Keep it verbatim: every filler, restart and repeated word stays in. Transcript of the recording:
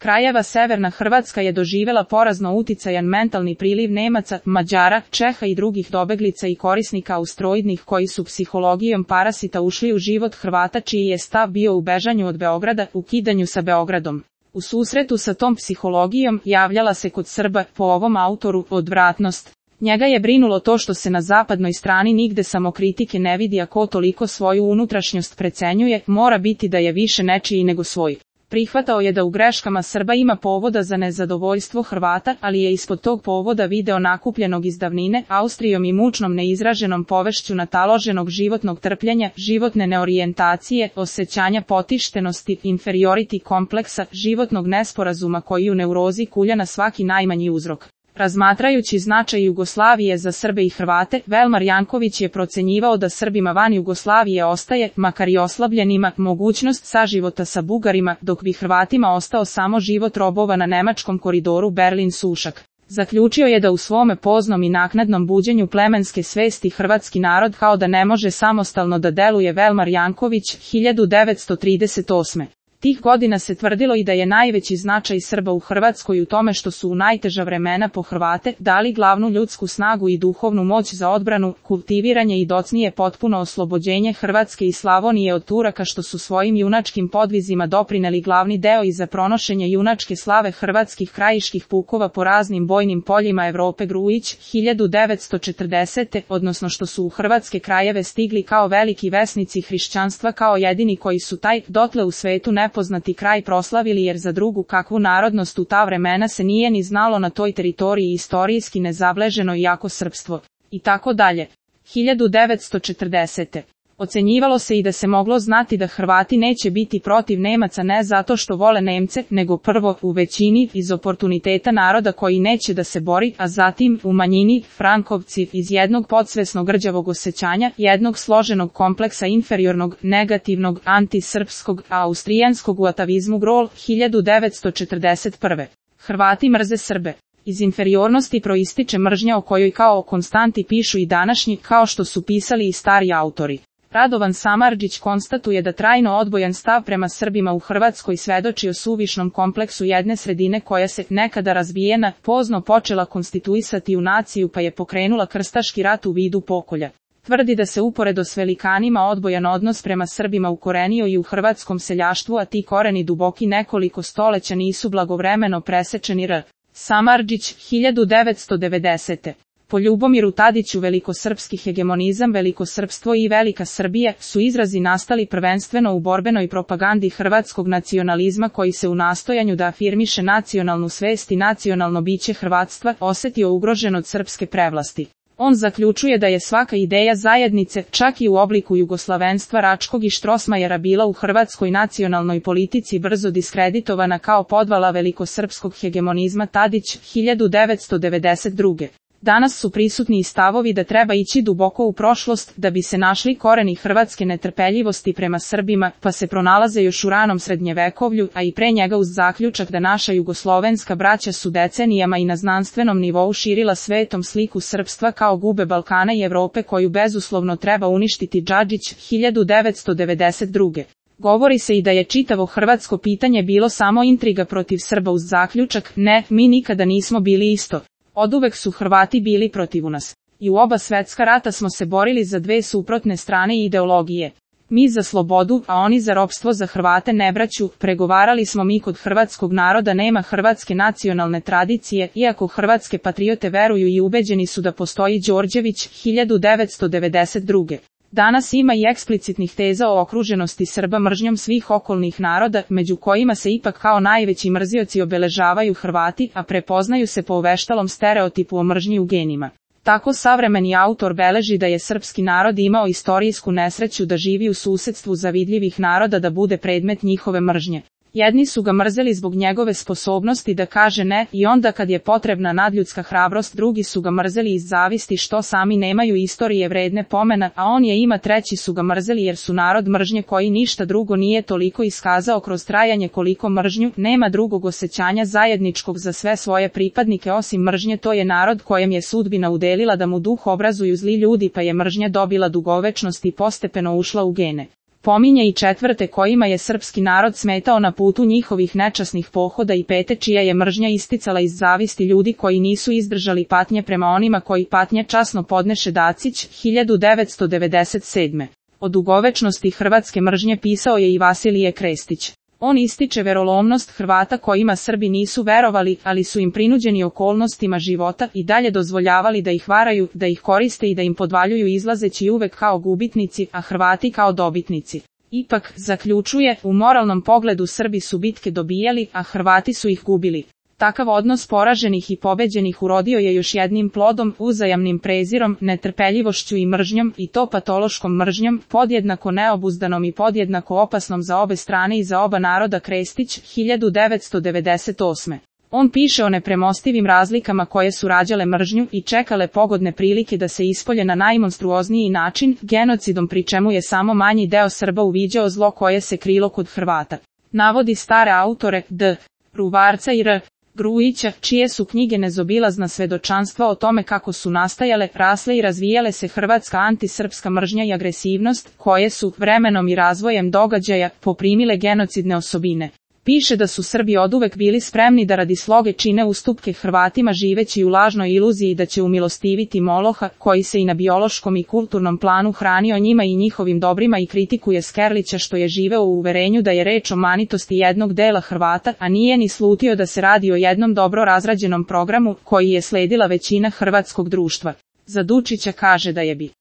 krajeva severna Hrvatska je doživela porazno uticajan mentalni priliv Nemaca, Mađara, Čeha i drugih dobeglica i korisnika austroidnih koji su psihologijom parasita ušli u život Hrvata čiji je stav bio u bežanju od Beograda, ukidanju sa Beogradom. U susretu sa tom psihologijom javljala se kod Srba, po ovom autoru, odvratnost. Njega je brinulo to što se na zapadnoj strani nigde samokritike ne vidi, a ko toliko svoju unutrašnjost precenjuje, mora biti da je više nečiji nego svoj. Prihvatao je da u greškama Srba ima povoda za nezadovoljstvo Hrvata, ali je ispod tog povoda video nakupljenog iz davnine, Austrijom i mučnom neizraženom povešću nataloženog životnog trpljenja, životne neorijentacije, osjećanja potištenosti, inferiority kompleksa, životnog nesporazuma koji u neurozi kulja na svaki najmanji uzrok. Razmatrajući značaj Jugoslavije za Srbe i Hrvate, Velmar Janković je procenjivao da Srbima van Jugoslavije ostaje, makar i oslabljenima, mogućnost saživota sa Bugarima, dok bi Hrvatima ostao samo život robova na nemačkom koridoru Berlin-Sušak. Zaključio je da u svome poznom i naknadnom buđenju plemenske svesti hrvatski narod kao da ne može samostalno da deluje. Velmar Janković, hiljadu devetsto trideset osme. Tih godina se tvrdilo i da je najveći značaj Srba u Hrvatskoj u tome što su u najteža vremena po Hrvate dali glavnu ljudsku snagu i duhovnu moć za odbranu, kultiviranje i docnije potpuno oslobođenje Hrvatske i Slavonije od Turaka, što su svojim junačkim podvizima doprineli glavni deo i za pronošenje junačke slave hrvatskih krajiških pukova po raznim bojnim poljima Evrope. Grujić, hiljadu devetsto četrdesete. odnosno što su u hrvatske krajeve stigli kao veliki vesnici hrišćanstva, kao jedini koji su taj, dotle u svetu ne poznati kraj proslavili, jer za drugu kakvu narodnost u ta vremena se nije ni znalo na toj teritoriji, istorijski nezableženo jako srpstvo. I tako dalje. hiljadu devetsto četrdesete. Ocenjivalo se i da se moglo znati da Hrvati neće biti protiv Nemaca ne zato što vole Nemce, nego prvo, u većini, iz oportuniteta naroda koji neće da se bori, a zatim, u manjini, Frankovci, iz jednog podsvesnog rđavog osjećanja, jednog složenog kompleksa inferiornog, negativnog, antisrpskog, a austrijanskog u atavizmu. Grol, hiljadu devetsto četrdeset prve. Hrvati mrze Srbe. Iz inferiornosti proističe mržnja o kojoj kao o konstanti pišu i današnji, kao što su pisali i stari autori. Radovan Samardžić konstatuje da trajno odbojan stav prema Srbima u Hrvatskoj svedoči o suvišnom kompleksu jedne sredine koja se, nekada razbijena, pozno počela konstituisati u naciju pa je pokrenula krstaški rat u vidu pokolja. Tvrdi da se uporedo s velikanima odbojan odnos prema Srbima ukorenio i u hrvatskom seljaštvu, a ti koreni duboki nekoliko stoleća nisu blagovremeno presečeni. R. Samardžić, hiljadu devetsto devedesete. Po Ljubomiru Tadiću velikosrpski hegemonizam, velikosrpstvo i velika Srbija su izrazi nastali prvenstveno u borbenoj propagandi hrvatskog nacionalizma koji se u nastojanju da afirmiše nacionalnu svest i nacionalno biće hrvatstva osetio ugrožen od srpske prevlasti. On zaključuje da je svaka ideja zajednice, čak i u obliku jugoslavenstva Račkog i Štrosmajera, bila u hrvatskoj nacionalnoj politici brzo diskreditovana kao podvala velikosrpskog hegemonizma. Tadić, hiljadu devetsto devedeset druge. Danas su prisutni i stavovi da treba ići duboko u prošlost da bi se našli koreni hrvatske netrpeljivosti prema Srbima, pa se pronalaze još u ranom srednjevekovlju, a i pre njega uz zaključak da naša jugoslovenska braća su decenijama i na znanstvenom nivou širila svetom sliku srpstva kao gube Balkana i Evrope koju bezuslovno treba uništiti. Džadžić, hiljadu devetsto devedeset druge. Govori se i da je čitavo hrvatsko pitanje bilo samo intriga protiv Srba uz zaključak, ne, mi nikada nismo bili isto. Oduvek su Hrvati bili protiv nas. I u oba svetska rata smo se borili za dve suprotne strane ideologije. Mi za slobodu, a oni za ropstvo. Za Hrvate nebraću, pregovarali smo mi. Kod hrvatskog naroda nema hrvatske nacionalne tradicije, iako hrvatske patriote veruju i ubeđeni su da postoji. Đorđević, hiljadu devetsto devedeset druge. Danas ima i eksplicitnih teza o okruženosti Srba mržnjom svih okolnih naroda, među kojima se ipak kao najveći mrzioci obeležavaju Hrvati, a prepoznaju se po uveštalom stereotipu o mržnji u genima. Tako savremeni autor beleži da je srpski narod imao istorijsku nesreću da živi u susedstvu zavidljivih naroda, da bude predmet njihove mržnje. Jedni su ga mrzeli zbog njegove sposobnosti da kaže ne i onda kad je potrebna nadljudska hrabrost, drugi su ga mrzeli iz zavisti što sami nemaju istorije vredne pomena, a on je ima. Treći su ga mrzeli jer su narod mržnje koji ništa drugo nije toliko iskazao kroz trajanje koliko mržnju, nema drugog osjećanja zajedničkog za sve svoje pripadnike osim mržnje. To je narod kojem je sudbina udelila da mu duh obrazuju zli ljudi, pa je mržnja dobila dugovečnost i postepeno ušla u gene. Pominje i četvrte kojima je srpski narod smetao na putu njihovih nečasnih pohoda i pete čija je mržnja isticala iz zavisti ljudi koji nisu izdržali patnje prema onima koji patnje časno podneše. Dacić, hiljadu devetsto devedeset sedme. O dugovečnosti hrvatske mržnje pisao je i Vasilije Krestić. On ističe verolomnost Hrvata kojima Srbi nisu verovali, ali su im prinuđeni okolnostima života i dalje dozvoljavali da ih varaju, da ih koriste i da im podvaljuju izlazeći uvek kao gubitnici, a Hrvati kao dobitnici. Ipak, zaključuje, u moralnom pogledu Srbi su bitke dobijali, a Hrvati su ih gubili. Takav odnos poraženih i pobeđenih urodio je još jednim plodom, uzajamnim prezirom, netrpeljivošću i mržnjom, i to patološkom mržnjom, podjednako neobuzdanom i podjednako opasnom za obe strane i za oba naroda. Krestić, hiljadu devetsto devedeset osme. On piše o nepremostivim razlikama koje su rađale mržnju i čekale pogodne prilike da se ispolje na najmonstruozniji način, genocidom, pri čemu je samo manji deo Srba uviđao zlo koje se krilo kod Hrvata. Navodi stare autore D. Ruvarca i R. Grujića, čije su knjige nezobilazna svedočanstva o tome kako su nastajale, rasle i razvijale se hrvatska antisrpska mržnja i agresivnost, koje su, vremenom i razvojem događaja, poprimile genocidne osobine. Piše da su Srbi oduvek bili spremni da radi sloge čine ustupke Hrvatima živeći u lažnoj iluziji da će umilostiviti Moloha, koji se i na biološkom i kulturnom planu hranio njima i njihovim dobrima, i kritikuje Skerlića što je živeo u uverenju da je reč o manitosti jednog dela Hrvata, a nije ni slutio da se radi o jednom dobro razrađenom programu, koji je sledila većina hrvatskog društva. Za Dučića kaže da je bi